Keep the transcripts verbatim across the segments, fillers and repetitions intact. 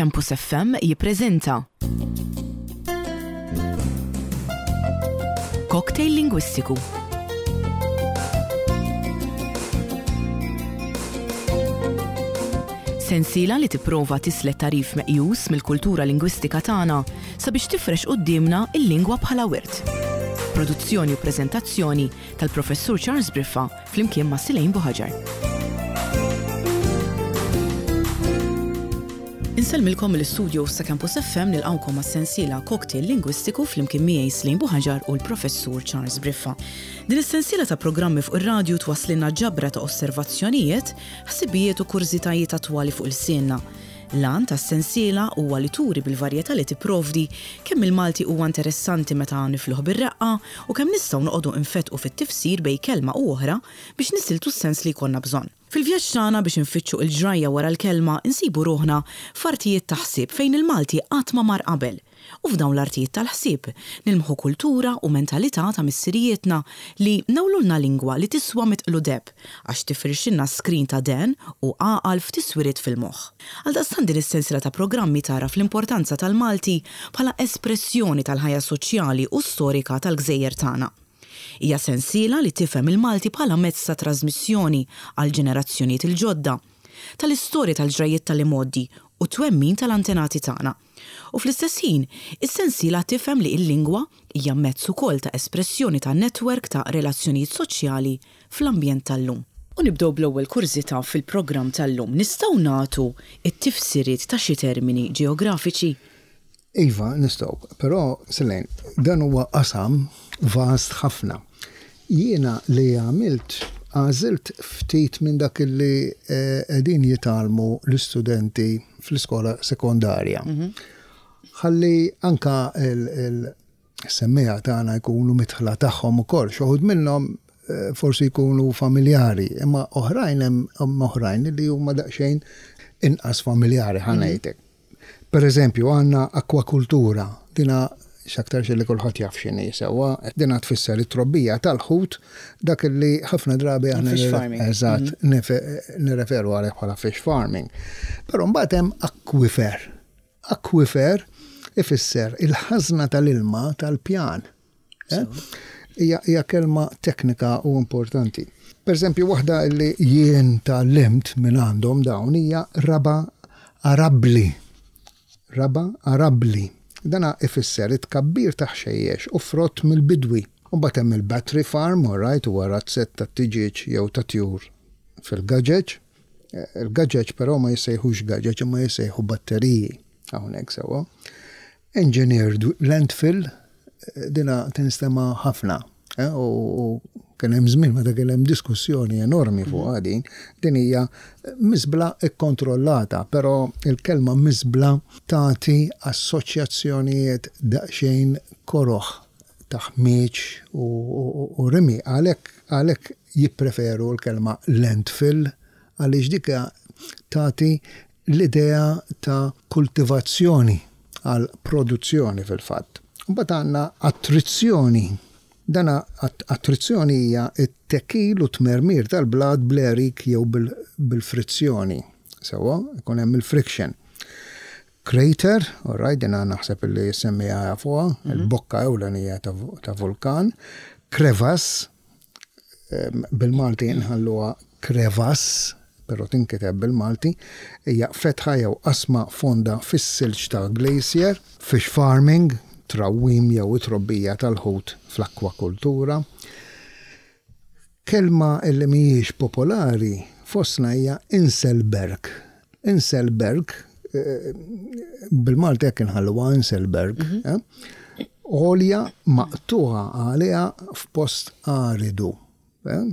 Campus F M jippreżenta Cocktail Lingwistiku. Sensiela li tipprova tislet tagħrif meqjus mill-kultura lingwistika tagħna sabiex tifrex quddiemna il-lingwa bħala wirt. Produzzjoni u preżentazzjoni tal-Professur Charles Briffa flimkien ma' Silejn Buħaġar. Insellmilkom mill-istudio ta' Campus F M, nilqawkom għas-sensiela Cocktail Lingwistiku flimkien miegħi Slejn Buħaġar u l-Professur Charles Briffa. Din is-sensiela ta' programmi fuq ir-radju twasslilna ġabra ta' osservazzjonijiet, ħsibijiet u kurżitajiet attwali fuq ilsienna. L-għan tas-sensiela huwa li turi bil-varjetà li tipprovdi kemm il-Malti huwa interessanti meta nifluh bir-reqqa u kemm nistgħu noqogħdu infetqu fit-tifsir bejn kelma u oħra biex nisiltu s-sens li jkollna bżonn. Fil-vjaġġ tagħna biex infittxu il-ġrajja wara l-kelma, insibu ruħna f'artijiet ta' ħsieb fejn il-Malti qatt ma mar qabel. U f'dawn l-artijiet tal-ħsieb nilmħu kultura u mentalità ta' missirijietna li newlulna lingwa li tiswa mitqlu deheb għax tifrixilna skrin ta' dehen u għaqal f'tiswiriet fil-moħħ. Għaldaqstant din is-sensiela ta' programmi tara fl-importanza tal-Malti bħala espressjoni tal-ħajja soċjali u storika tal-gżejjer tagħna. Hija sensiela li tifhem il-Malti bħala mezz ta' trasmissjoni għal ġenerazzjonijiet il-ġodda, tal-istorja, tal-ġrajiet tal-imgħoddi u twemmin tal-antenati tagħna. U fl-istess ħin, is-sensiela tifhem li l-lingwa hija mezz ukoll ta' espressjoni ta' netwerk ta' relazzjonijiet soċjali fl-ambjent tal-lum. U nibdew bl-ewwel kurżità fil-programm tal-lum. Nistgħu nagħtu it-tifsiriet ta' xi termini ġeografiċi? Iva, nistgħu, però, Selene, dan huwa qasam vast ħafna. Jiena li għamilt, għażilt ftit minn dak li eh, qegħdin jitgħallmu l-istudenti fl-iskola sekondarja. Ħalli anka il-semmiegħa tagħna jkunu midħla tagħhom ukoll. Xi wħud minnhom eh, forsi jkunu familjari, imma oħrajn, hemm oħrajn li huma daqsxejn inqas familjari, ħa ngħidlek. Per eżempju, għandna akwakultura, dina x'aktarx li kulħadd jaf x'inhi sewwa, dina tfisser it-trobbija tal-ħut, dak li ħafna drabi aħna Fish farming. Eżatt, nirreferu għalih bħala fish farming. Però mbagħad hemm akwifer. Akwifer ifisser il-ħażna tal-ilma tal-pjan. Eh? Hija hija kelma teknika u importanti. Per eżempju, waħda li jien tgħallimt minn għandhom dawn hija raba arabli. Raba arabli. Dana ifisser it-tkabbir ta' ħxejjex u frott mill-bidwi. U mbagħad hemm il-battery farm, all right, huwa razzett ta' tiġieġ jew ta' tjur fil-gaġeġ. Eh, Il-gaġeġ però ma jissejħux gaġeġ, imma jissejħu batteriji hawnhekk sewwa. Engineered landfill, eh, dina tinstema ħafna. eh, U u kien hemm żmien meta kien hemm diskussjoni enormi fuq din, din hija miżbla ikkontrollata, però il-kelma miżbla tagħti assoċjazzjonijiet daqsxejn koroħ ta' ħmieġ u, u, u rimi, għalhekk għalhekk jippreferu l-kelma landfill, għaliex dika tagħti l-idea ta' kultivazzjoni għal produzzjoni fil-fatt. Mbagħad għandna attrizzjoni. Dana att- attrizzjoni hija t-tekil u tmermir tal-blat bl-għerik jew bil- bil-frizzjoni. Sewwa, ikun hemm il-friction. Crater, all right, dina naħseb li semmiegħa jafuha, il-bokka ewlenija ta' ta' vulkan. Crevasse, em, bil-Malti nħalluha crevasse, però tinkiteb bil-Malti, hija fetħa jew qasma fonda fis-silġ ta' glacier. Fish farming, trawwim jew trobbija tal-ħut fl-akwakultura. Kelma illi mhijiex popolari fostna hija Inselberg. Inselberg, eh, bil-Malti hekk inħalluha Inselberg, eh? Għolja maqtuħa għaliha f'post aridu. Eh?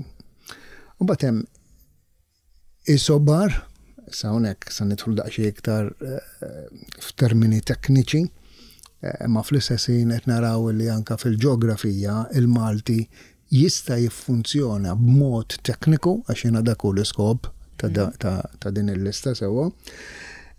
U mbagħad hemm isobar, sa hawnhekk sa nidħlu daqsxejn iktar eh, f'termini tekniċi, eh, ma fl-istess ħin qed naraw li anka fil-ġeografija il-Malti jista' jiffunzjona b'mod tekniku, għax jiena dak hu l-iskop ta' da- ta' ta' din il-lista sewwa.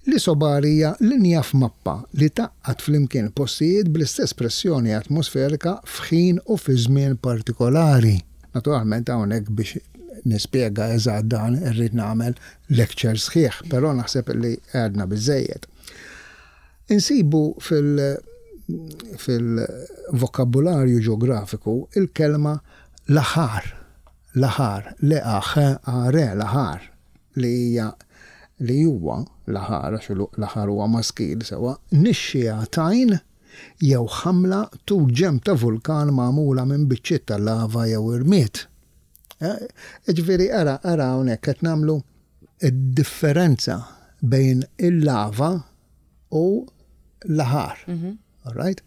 L-isobar hija linja f'mappa li tgħaqqad flimkien postijiet bl-istess pressjoni atmosferika f'ħin u fi żmien partikolari. Naturalment hawnhekk biex nispjega eżatt dan irrid nagħmel lecture sħiħ, però naħseb li għedna biżejjed. Insibu fil- fil-vokabularju ġeografiku il-kelma lahar, lahar, L A H A R, lahar, li hija li huwa lahar, għax lahar huwa maskil sewa, nixxiegħa tajn jew ħamla tul ġenb ta' vulkan magħmula minn biċċiet ta' lava jew irmied. Ġifieri ara, ara hawnhekk qed nagħmlu id-differenza bejn il-lava u lahar. All right?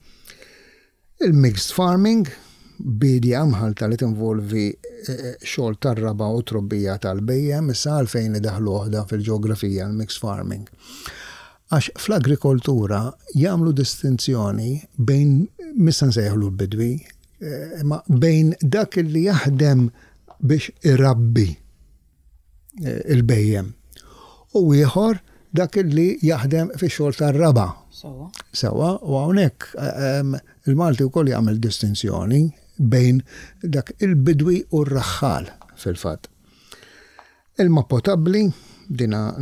Il-mixed farming, bidja mħalta li tinvolvi eh, xogħol tar-raba u trobbija tal-bhejjem, issa għalfejn idaħlu waħda fil-ġeografija l-mixed farming? Għax fl-agrikoltura jagħmlu distinzjoni bejn, missa nsejħlu l-bidwi, eh, ma bejn dak li jaħdem biex irabbi eh, il-bhejjem u ieħor dak li jaħdem fi xogħol tar-raba. Sewa. Sewa, u hawnhekk ehm, il-Malti wkoll jagħmel distinzjoni bejn dak il-bidwi u r-raħħal fil-fatt. Ilma potabli, dina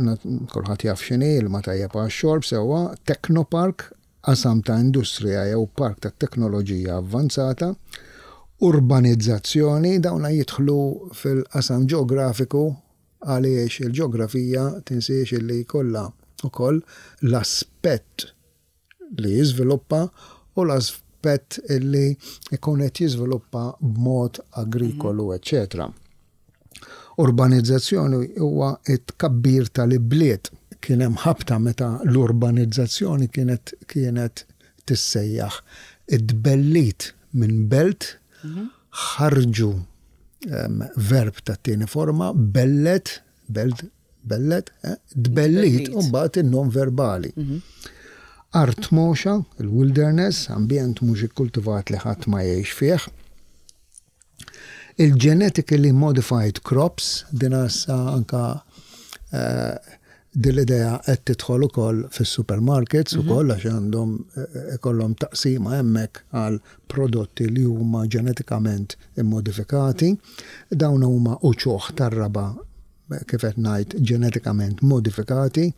kulħadd jaf x'inhi, ilma tajjeb għax-xorb sewwa, teknopark, qasam ta' industrija jew park ta' teknoloġija avvanzata, urbanizzazzjoni, dawna jidħlu fil-qasam ġeografiku għaliex il-ġeografija tinsiex li jkollha ukoll l-aspett li jiżviluppa u l-aspett li jkun qed jiżviluppa b'mod agrikolu, eċċetera. Urbanizzazzjoni huwa it-tkabbir tal-ibliet. Kien hemm ħabta meta l-urbanizzazzjoni kienet kienet tissejjaħ id-bellit minn belt, ħarġu em, verb ta' tieni forma, bellet, belt, bellet, eh, dbellit, Dbellit. U mbagħad in-nom verbali. Art moxa, il-wilderness, ambjent mhux ikkultivat li ħadd ma jgħix fih. Il-genetically modified crops, din issa anka eh, din l-idea qed tidħol ukoll fis-supermarkets ukoll għax għandhom eh, ikollhom taqsima hemmhekk għal prodotti li huma ġenetikament immodifikati. Dawn huma uċuħ tar-raba, kif qed ngħid, ġenetikament modifikati,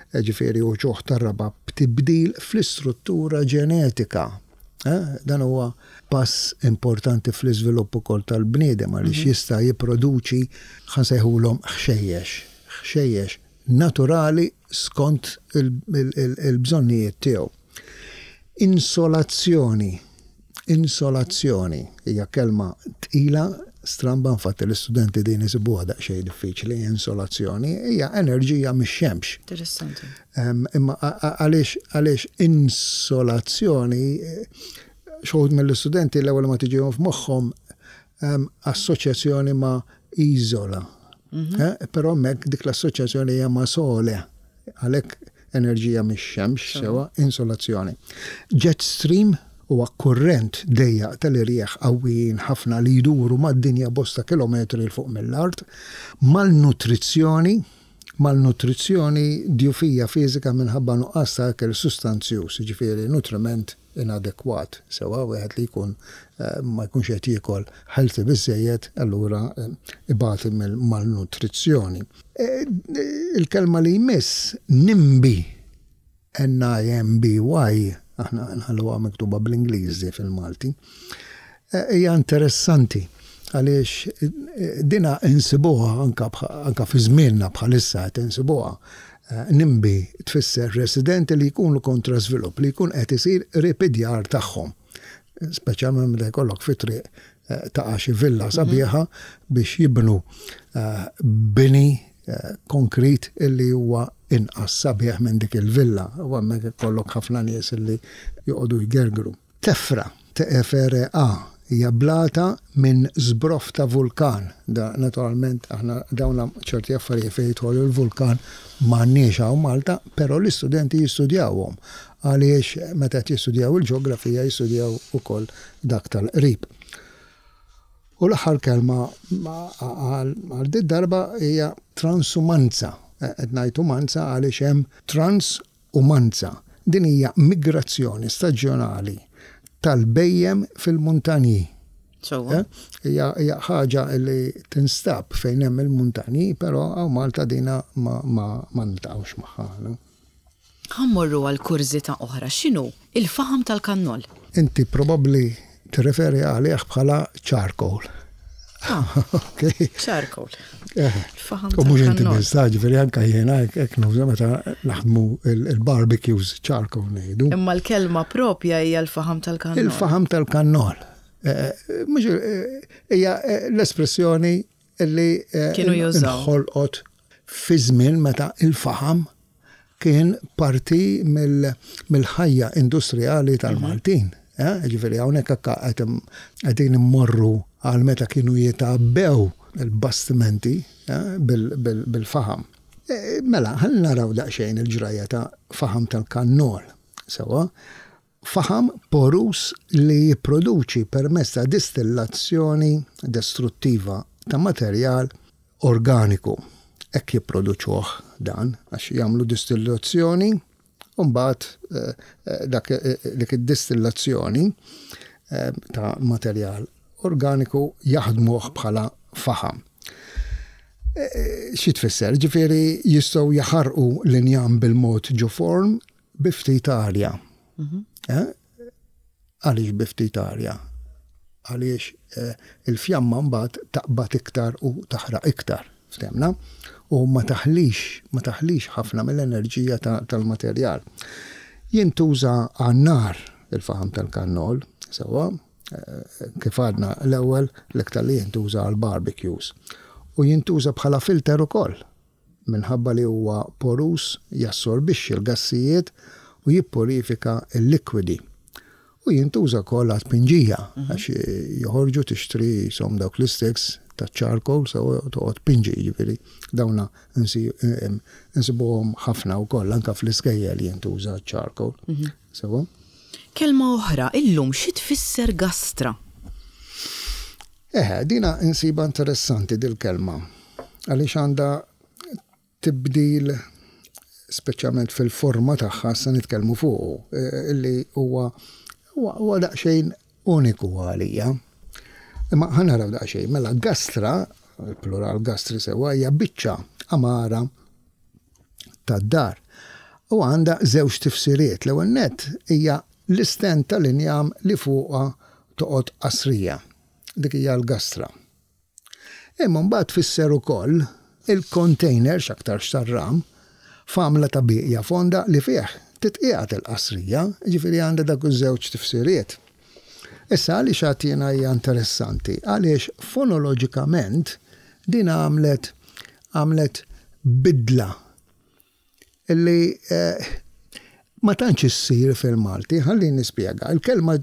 ġifieri uċuħ tar-raba b'tibdil fl-istruttura ġenetika. Eh, Dan huwa pass importanti fl-iżvilupp ukoll tal-bniedem għaliex jista' jipproduċi, ħa nsejħulhom, ħxejjex, ħxejjex naturali skont il-bżonnijiet tiegħu. Insolazzjoni. Insolazzjoni hija kelma tqila, stramba, infatti l-istudenti din isibuha daqsxejn diffiċli. Insolazzjoni hija enerġija mix-xemx. Interessanti. Em, Imma a- a- għaliex għaliex insolazzjoni, eh, xi wħud mill-istudenti l-ewwel ma tiġihom f'moħħhom em, assoċjazzjoni ma' iżola. Eh, Però hemmhekk dik l-assoċjazzjoni hija ma' sole. Għalhekk enerġija mix-xemx sewa insolazzjoni. Jet stream huwa kurrent dejjaq tal-irjieħ qawwijin ħafna li jduru mad-dinja bosta kilometri 'l fuq mill-art. Malnutrizzjoni, malnutrizzjoni, djufija fiżika minħabba nuqqas ta' ikel sustanzjuż, ġifieri nutriment inadekwat, sewa, wieħed li jkun eh, ma jkunx qed jiekol healthy biżejjed, allura eh, ibati mill-malnutrizzjoni. Eh, Il-kelma li jmiss, NIMBY, N I M B Y, aħna nħalluha miktuba bl-Ingliż fil-Malti, eh, hija interessanti għaliex eh, dina insibuha anka, anka fi żmienna bħalissa qed insibuha. Eh, NIMBY tfisser residenti li jkunu kontra żvilupp li jkun qed isir qrib id-djar tagħhom. Speċjalment meta jkollok fi triq eh, taqa' xi villa sabiħa biex jibnu eh, bini eh, konkrit illi huwa inqas sabiħ minn dik il-villa. U hemmhekk ikollok ħafna nies illi joqogħdu jgergru. Tefra, T E F R A, hija blata minn żbroff ta' vulkan. Da, naturalment, aħna dawna ċerti affarijiet fejn jidħol il-vulkan m'għandniex hawn Malta, però l-istudenti jistudjawhom għaliex meta qed jistudjaw il-ġeografija jistudjaw ukoll dak tal-qrib. U l-aħħar kelma ma- għal għal din darba hija transumanza. Qed ngħid umanza għaliex hemm transumanza. Din hija migrazzjoni staġjonali tal-bhejjem fil-muntanji. Sewa. Eh? Hija hija ħaġa li tinstab fejn hemm il-muntanji, però hawn Malta dina ma ma ma niltaqgħux magħha. No? Ħa mmorru għal kurżità oħra. X'inhu il-faħam tal-kannol? Inti probabbli tirreferi għalih bħala charcoal. Ah, Okay. charcoal. Eh. Il-faħam U mhux inti tal-kannol. biss, ġifieri anke jiena hekk nuża meta naħdmu il-barbecues charcoal ngħidu. Imma l-kelma propja hija l-faħam tal-kannol. Il-faħam tal-kannol. Eh, Mhux eh, hija eh, l-espressjoni li eh, Kienu jużaw. inħolqot fi żmien meta il-faħam kien parti mill- mill-ħajja industrijali tal-Maltin. Eh, Ġifieri hawnhekk hekk qed qegħdin immorru għal meta kienu jitgħabbew il-bastimenti eh, bil- bil- bil-faħam. Eh, Mela, ħalli naraw daqsxejn il-ġrajja ta' faħam tal-kannol. Sewwa, faħam porus li jipproduċi permezz ta' distillazzjoni destruttiva ta' materjal organiku. Hekk jipproduċuh dan, għax jagħmlu distillazzjoni, u mbagħad eh, eh, dak eh, dik id-distillazzjoni eh, ta' materjal organiku jaħdmuh bħala faħam. Eh, Xi tfisser? Ġifieri jistgħu jaħarqu l-injam bil-mod ġo forn bi ftit arja. Eh? Għaliex bi ftit arja? Għaliex eh, il-fjamma mbagħad taqbad iktar u taħraq iktar, ftemna? U ma taħlix, ma taħlix ħafna mill-enerġija ta- tal-materjal. Jintuża għan-nar il-faħam tal-kannol, sewwa, eh, kif għadna l-ewwel l-iktar li jintuża għal barbecues. U jintuża bħala filter ukoll minħabba li huwa porus jassorbixxi l-gassijiet u jippurifika l-likwidi. U jintuża wkoll għal tpinġija għax joħorġu tixtri som dawk l-sticks ta' charcoal so toqgħod pinġi jiġifieri dawna insi- em, insibuhom ħafna wkoll anke fl-iskejjel jintuża charcoal. Sewwa? Kelma oħra, illum xi tfisser gastra? Eħe, dina insiba interessanti dil-kelma. Għaliex għandha tibdil speċjalment fil-forma tagħha se nitkellmu fuqu, eh, illi huwa huwa huwa daqsxejn uniku għalija. Imma ħa naraw daqsxejn, mela gastra, il-plural gastri sewwa hija biċċa għamara tad-dar. U għandha żewġ tifsiriet. L-ewwel nett hija l-istand tal-injam li fuqha toqgħod qasrija. Dik hija l-gastra. Imma mbagħad tfisser ukoll il-container x'aktarx tar-ram f'għamla ta' bieqja fonda li fih titqiegħed il-qasrija, ġifieri għandha dak iż-żewġ tifsiriet. Issa għaliex għatina hija interessanti? Għaliex fonoloġikament din għamlet għamlet bidla illi eh, ma tantx issir fil-Malti, ħalli nispjega. Il-kelma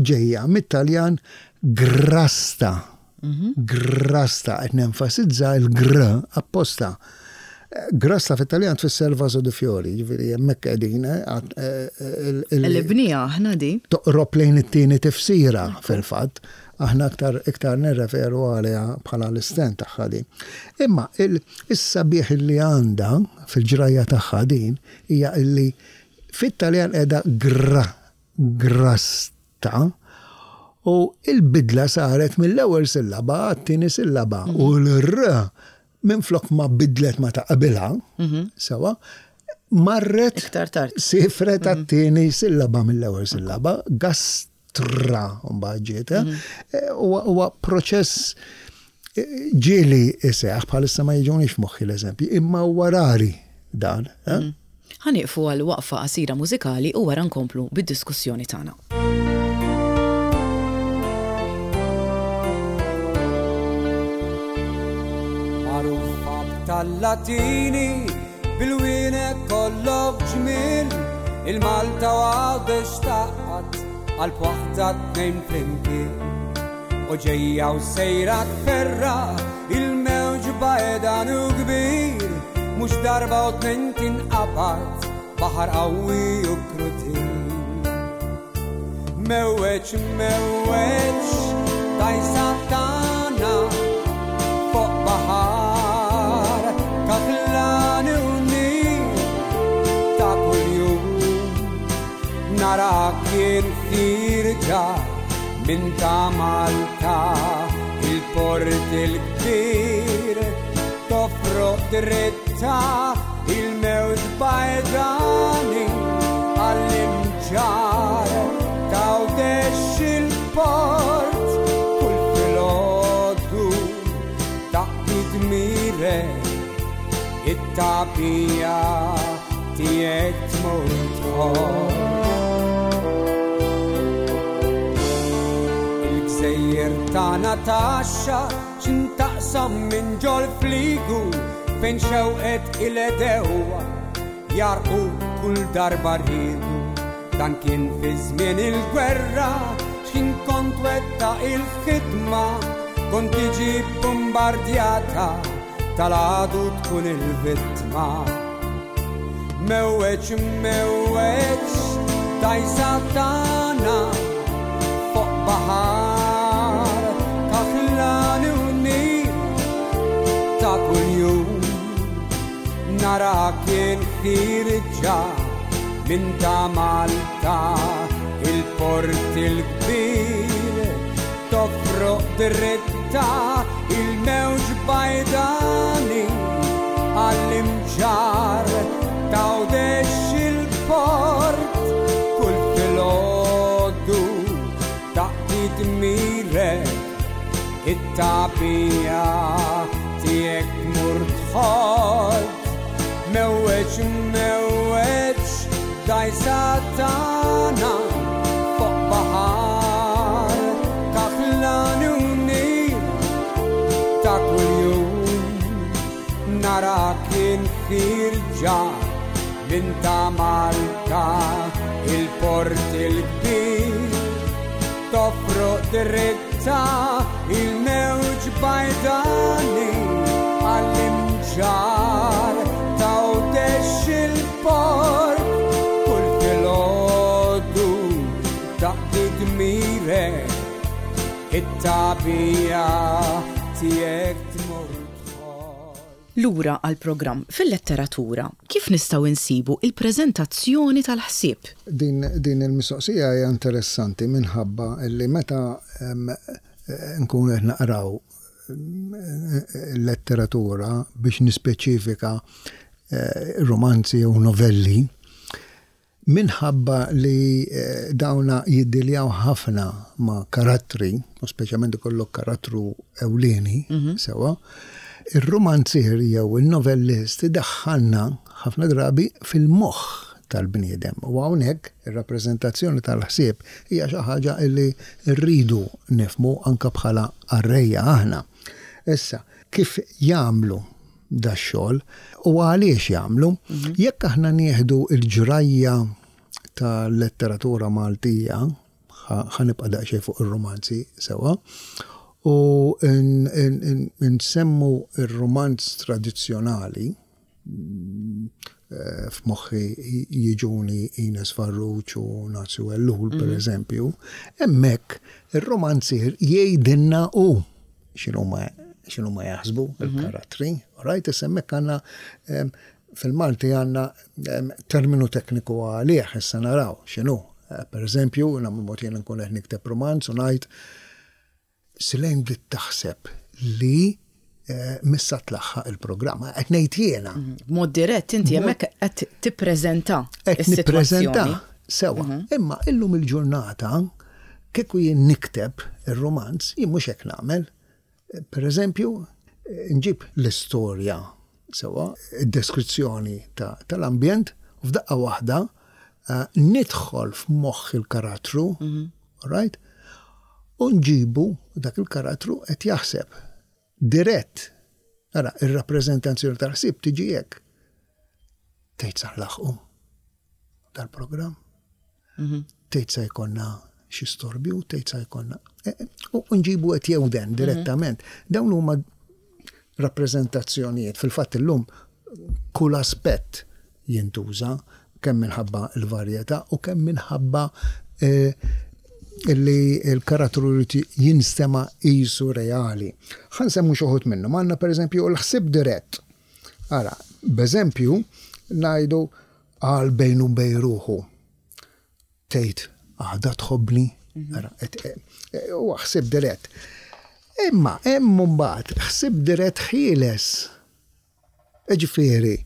ġejja mit-Taljan grasta. Grasta, qed nenfasizza il-gr apposta. Grasta fit-Taljan tfisser vaso di fiori, ġifieri hemmhekk qegħdin eh, għat- eh, il- il- Il-bnija aħna din. toqrob lejn it-tieni tifsira fil-fatt, aħna aktar iktar nirreferu għaliha bħala l-istand tagħha din. Imma il-sabiħ li għandha fil-ġrajja tagħha din hija illi fit-Taljan qiegħda gra, grasta u il-bidla saret mill-ewwel sillaba għat-tieni sillaba u l-r minflok ma bidlet ma ta' qabilha, sewwa, marret Iktar tard. Sifret għat-tieni sillaba mill-ewwel sillaba, gastra mbagħad ġiet. eh? Huwa huwa proċess eh, ġieli iseħħ bħalissa ma jiġunix f'moħħi l-eżempji, imma huwa rari dan. eh? Ħa nieqfu għal waqfa qasira mużikali u wara nkomplu bid-diskussjoni tagħna. Magħrufa tal-Latini bil-wienek kollok ġmiel il-Malta u Għawdex taqgħad għal waħda tnejn flimkien. U ġejja u sejra tferra il-mewġ bajdan u kbir mhux darba u tnejn tinqabad baħar qawwi u krudil. Mewweġ, mewweġ, dajsa tagħna fuq baħar kaħlan u nil ta' kuljum narak jien ħierġa minn ta' Malta il-port il-kbir tofroq dritta Il-mewġ bajdani għall-Imġarr t'Għawdex il-port. Kull filgħodu taqdi dmirek, it-tagħbija tiegħek tmur tħoll. Il-gżejjer tagħna taxxa x'intaqsam minn ġol fligu fejn xewqet il-edewa jarqu kull darba rridu. Dan kien fi żmien il-gwerra x'kien kont wetta il-ħidma, kont tiġi bombardjata tal-għadu tkun il-vittma. Mewweġ, mewweġ, dajsa tagħna fuq baħar kaħlani u nil ta' kuljum. Nara kien ħirġa minn ta' Malta il-port il-kbir, tofroq dritta il-mewġ bajdani għall-Imġarr t'Għawdex il-port. Kull filgħodu taqdi dmirek, it-tagħbija tiegħek tmur tħodd. Mewweġ, mewweġ, dajsa tagħna fuq baħar kaħlani u nil ta' kuljum. Nara kien ħirġa minn ta' Malta il-port il-kbir, tofroq dritta il-mewġ bajdani għall-Imġarr t'Għawdex il-port. Kull filgħodu taqdi dmirek, it-tagħbija tiegħek tmur tħoll. Lura għal-programm fil-letteratura, kif nistgħu insibu il-preżentazzjoni tal-ħsieb? Din, din il-mistoqsija hija interessanti minħabba li meta em, nkunu qed naqraw letteratura biex nispeċifika eh, romanzi u novelli, minħabba li eh, dawna jiddiljaw ħafna ma' karattri, u speċjalment ikollok karattru ewlieni, sewa, ir-romanzier jew il-novellist daħħalna ħafna drabi fil-moħħ tal-bniedem. U hawnhekk ir-rappreżentazzjoni tal-ħsieb hija xi ħaġa li rridu nifhmu anke bħala qarrejja aħna. Issa, kif jagħmlu da xogħol u għaliex jagħmlu? Jekk aħna nieħdu l-ġrajja tal-letteratura Maltija, ħa nibqa' daqsxejn fuq ir-romanzi sewa, u nsemmu ir-romanz tradizzjonali, f'moħħi jiġuni Ines Farrugia u Nazju Ellul, per eżempju, hemmhekk ir-romanzier jgħidilna u x'inhuma x'inhuma jaħsbu il-karattri, right? Issa hemmhekk għandna fil-Malti għandna terminu tekniku għalih, issa naraw x'inhu. Per eżempju, nagħmlu mod jien nkun qed nikteb romanz u ngħid Silejn bdiet taħseb li missa tlaħħaq il-programma, qed ngħid jiena. B'mod dirett inti hemmhekk qed tippreżenta Qed nippreżenta sewa. Imma illum il-ġurnata kieku jien nikteb ir-romanz, jien mhux hekk nagħmel. Per eżempju, nġib l-istorja sewa, id-deskrizzjoni tal-ambjent, u f'daqqa waħda nidħol f'moħħ il-karattru, right? U nġibu dak il-karattru qed jaħseb dirett. Ara, ir-rappreżentazzjoni tal-ħsieb tiġi hekk. Tgħid sa nlaħħqu dal-programm. Tgħid sa jkollna xi storbju, tgħid sa jkollna. U nġibu qed jewden direttament. Dawn huma rappreżentazzjonijiet. Fil-fatt illum kull aspett jintuża kemm minħabba l-varjetà u kemm minħabba illi l-karattru jrid jinstema' qisu reali. Ħa nsemmu xi wħud minnhom. Għandna pereżempju l-ħsieb dirett. Ara, b'eżempju ngħidu għal bejnu bejn ruħu. Tgħid għadha tħobbni. Ara, huwa ħsieb dirett. Imma hemm mbagħad ħsieb dirett ħieles. Ġifieri,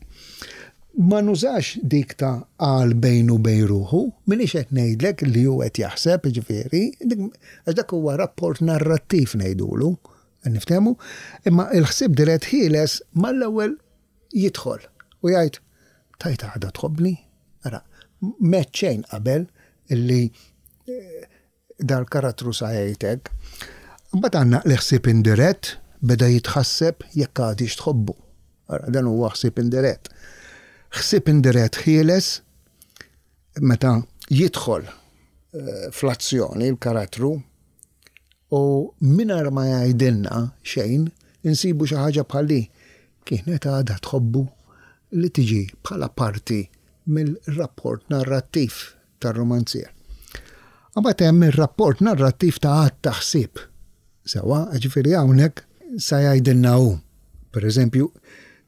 Ma nużax dik ta' għal bejnu bejn ruħu, minix qed ngħidlek li hu qed jaħseb, ġifieri, għax dak huwa rapport narrattiv ngħidulu, niftehmu, imma il-ħsieb dirett ħieles mal-ewwel jidħol u jgħid tajta għadha tħobbni, ara, meċċejn qabel illi eh, dal-karattru sa jgħidek. Mbagħad għandna l-ħsieb indirett beda jitħasseb jekk għadix tħobbu. Ara, dan huwa ħsieb indirett. Ħsieb indirett ħieles meta jidħol eh, fl-azzjoni l-karattru u mingħajr ma jgħidilna xejn insibu xi ħaġa bħal li kienet għadha tħobbu li tiġi bħala parti mill-rapport narrattiv tar-romanzier. Mbagħad hemm ir-rapport narrattiv ta' għadd ta' ħsieb. Sewwa, ġifieri hawnhekk sa jgħidilna hu. Per eżempju,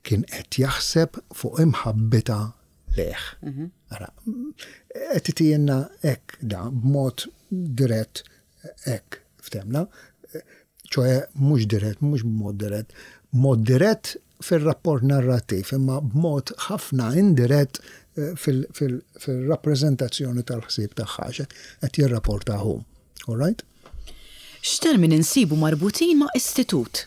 kien qed jaħseb fuq imħabbita lejh. Ara, qed itijenna hekk da b'mod dirett hekk ftemna, ċoe mhux dirett, mhux b'mod dirett, mod dirett fil-rapport narrattiv, imma b'mod ħafna indirett eh, fil-rappreżentazzjoni tal-ħsieb tagħha qed jirrapporta hu. All right? X'termini insibu marbutin ma' istitut?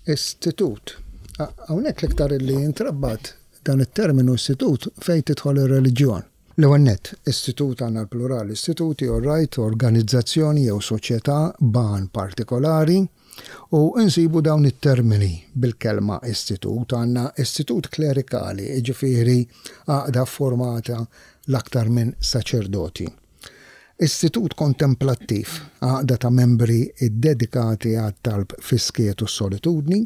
Istitut. Hawnhekk l-iktar li jintrabat dan it-terminu istitut fejn tidħol ir-reliġjon. L-ewwel nett, istitut għandna l-plural, istituti, all right, organizzazzjoni jew soċjetà b'għan partikolari u insibu dawn it-termini bil-kelma istitut. Għandna istitut klerikali, jiġifieri għaqda formata l-aktar minn saċerdoti. Istitut kontemplattiv, għaqda ta' membri ddedikati għat-talb fis-skiet u solitudni.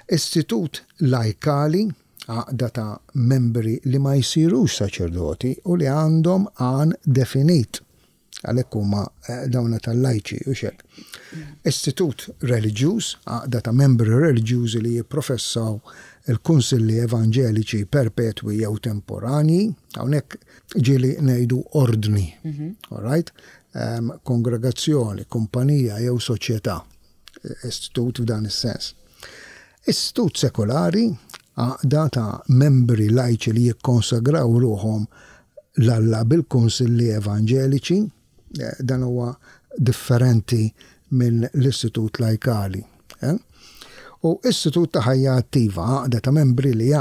Istitut lajkali, għaqda ta' membri li ma jsirux saċerdoti u li għandhom għan definit. Għalhekk huma eh, dawna tal-lajċi u xek. Istitut reliġjuż, għaqda ta' membri reliġjużi li jipprofessaw il-kunsilli evanġeliċi perpetwi jew temporani, hawnhekk ġieli ngħidu ordni, all right? Um, kongregazzjoni, kumpanija jew soċjetà, istitut f'dan is-sens. Istitut sekolari, għaqda ta' membri lajċi li jikkonsagraw ruħhom 'l Alla bil-kunsilli evanġeliċi, eh, dan huwa differenti minn l-istitut lajkali. Eh? U istitut ta' ħajja attiva, għaqda ta' membri li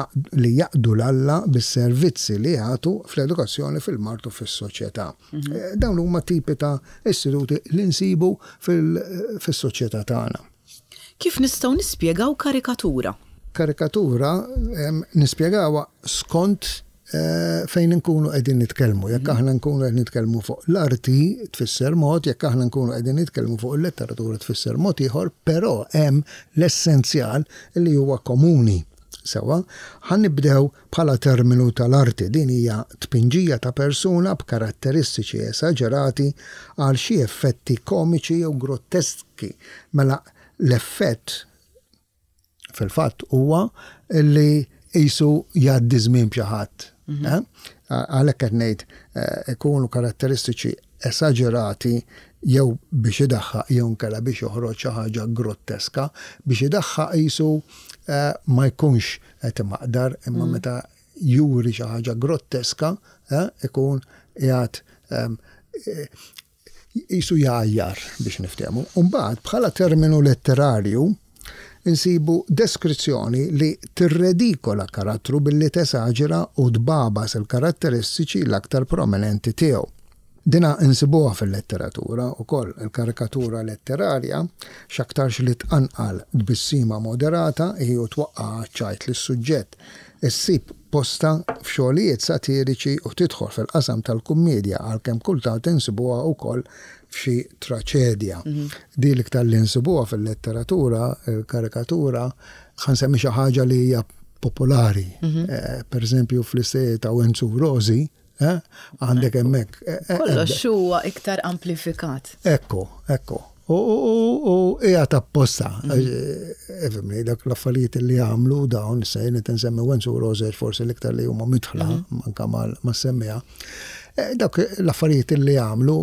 li jaqdu 'l Alla bis-servizzi li jagħtu fl-edukazzjoni, fil-mard u fis-soċjetà. Eh, Dawn huma tipi ta' istituti li nsibu fil-soċjetà tagħna. Kif nistgħu nispjegaw karikatura? Karikatura em, nispjegawha skont eh, fejn nkunu qegħdin nitkellmu. Jekk aħna nkunu qed nitkellmu fuq l-arti tfisser mod, jekk aħna nkunu qegħdin nitkellmu fuq il-letteratura tfisser mod ieħor, però hemm l-essenzjal li huwa komuni. Sewwa, ħa nibdew bħala terminu tal-arti. Din hija tpinġija ta' persuna b'karatteristiċi esaġerati għal xi effetti komiċi jew groteski. Mela l-effett fil-fatt huwa li jisu jgħaddi żmien b'xi ħadd. Eh? Għalhekk qed ngħid eh, ikunu karatteristiċi esaġerati jew biex idaħħaq jew nkella biex joħroġ xi ħaġa grotteska, biex idaħħaq jisu eh, ma jkunx qed imaqdar, imma meta juri xi ħaġa grotteska eh, ikun qiegħed ehm, eh, jisu jgħajjar biex niftehmu. Umbagħad bħala terminu letterarju insibu deskrizzjoni li tirredikola karattru billi tesaġera u tbabas il-karatteristiċi l-aktar prominenti tiegħu. Dina insibuha fil-letteratura u koll il-karikatura letterarja x'aktarx li tqanqal tbissima moderata hi u twaqqa' ċajt lis-suġġett. Issib posta f'xogħlijiet satiriċi u tidħol fil-qasam tal-kummedja, għalkemm kultant insibuha wkoll f'xi traċedja. Di l-iktar li nsibuha fil-letteratura, il-karikatura, ħa nsemmi xi ħaġa li hija popolari. Eh, Per eżempju, fl-istejjer ta' Wenzu Rosi, eh, għandek hemmhekk. eh, eh, Kollox huwa iktar amplifikat. Ekku, ekku. U, u, u, u hija ta' posta. Ifhimni, dak l-affarijiet li għamlu dawn, issa jien qed insemmi Wenzu Rosi forsi l-iktar li huma midħla, manka mal ma semmija. Eh, Dak l-affarijiet li għamlu,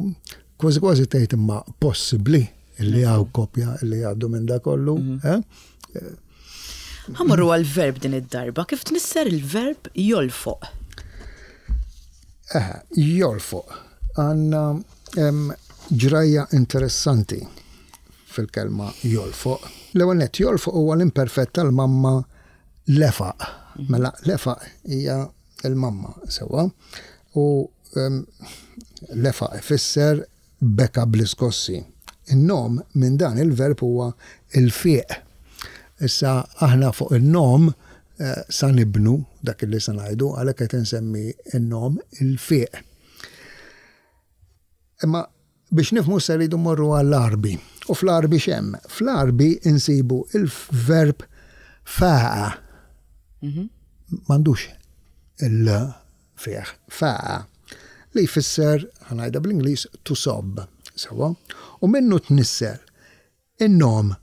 kważi kważi tgħid imma possibbli li hawn kopja li għaddu minn da kollu. eh? Ħa mmorru għal-verb din id-darba, kif tnissel il-verb jolfoq? Eh, jolfoq. Għandna ġrajja interessanti fil-kelma jolfoq. L-ewwel nett, jolfoq huwa l-imperfett tal-mamma lefaq. Mela lefaq hija il-mamma sewwa. U lefaq ifisser beka bl-iskossi. In-nom minn dan il-verb huwa il-fiq. Issa aħna fuq il-nom eh, sa nibnu dak li sa ngħidu, għalhekk qed insemmi il-nom il-fiq. Imma biex nifhmu se rridu morru għall-Għarbi. U fl-Għarbi x'hemm? Fl-Għarbi insibu il-verb faqa. M'għandux il fih, faqa. Li jfisser, ħa ngħidha bl-Ingliż, to sob. Sewwa? U minnu tnissel in-nom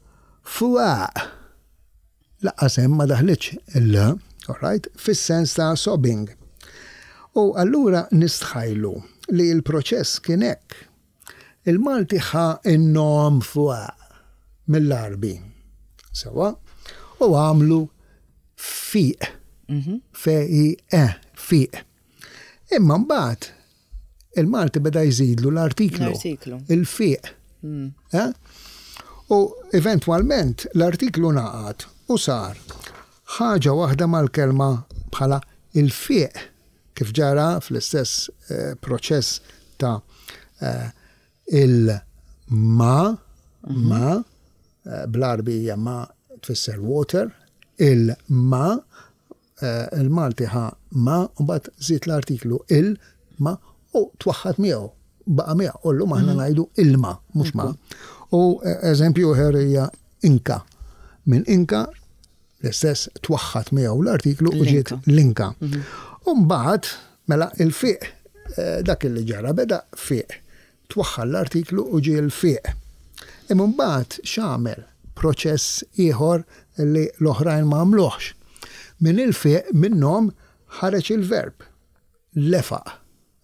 fuq. Lanqas hemm ma daħlitx il all right, fis-sens ta' sobbing. U allura nistħajlu li l-proċess kien hekk. Il-Malti ħa in-nom fuq mill-Għarbi. Sewwa? U għamlu fiq. F I E, fiq. Imma mbagħad il-Malti beda jżidlu l-artiklu. L-artiklu. Il-fiq. Eh? U eventwalment l-artiklu ngħaqad u sar ħaġa waħda mal-kelma bħala il-fiq, kif ġara fl-istess eh, proċess ta' eh, il-ma, ma, eh, bl-Għarbi hija ma tfisser water, il-ma, eh, il-Malti ħa ma, u mbagħad żied l-artiklu il-ma u twaħħad miegħu, baqa' miegħu, u llum aħna ngħidu ilma, mhux ma. U eh, eżempju ieħor hija inka. Minn inka l-istess, twaħħad miegħu l-artiklu u ġiet L-inka. l-inka. U mbagħad mela il-fiq, eh, dak li ġara, beda fiq. Twaħħal l-artiklu u ġie l-fiq. Imma mbagħad x'għamel? Proċess ieħor li l-oħrajn ma għamluhx. Minn il-fiq, minnhom ħareġ il-verb lefaq.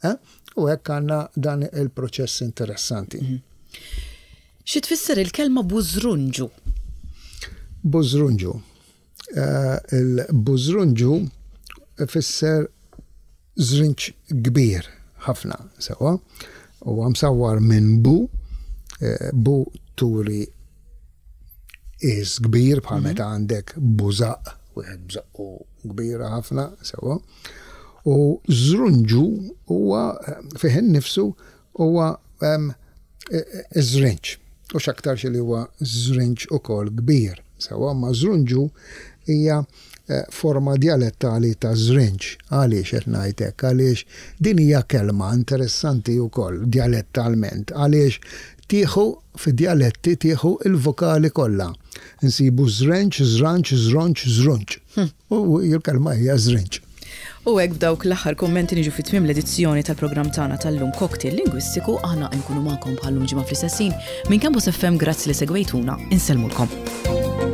Eh? U hekk għandna dan il-proċess interessanti. Xi tfisser il-kelma bużrunġu? Bużrunġu. Eh, Il-bużrunġu ifisser żrinġ kbir ħafna, sewwa. U msawwar minn bu, eh, bu turi is kbir bħal meta għandek bużaq, wieħed bżaqqu kbira ħafna, sewwa. U żrunġu huwa eh, fih innifsu huwa em, eh, eh, żrinġ. U x'aktarx li huwa żrinġ ukoll kbir. Sewwa, ma żrunġu hija eh, forma dialettali ta' żrinġ. Għaliex qed ngħid hekk? Għaliex din hija kelma interessanti wkoll dialettalment. Għaliex tieħu fi dialetti tieħu il-vokali kollha. Insibu żrenġ, żranġ, żronġ, żrunġ. U il-kelma hija żrinġ. U hekk b'dawk l-aħħar kommenti niġu fi tmiem l-edizzjoni tal-programm tagħna tal-lum, Cocktail Lingwistiku. Aħna nkunu magħkom bħal-lum ġimgħa fl-istess ħin. Minn Campus F M, grazzi li segwejtuna, insellmulkom.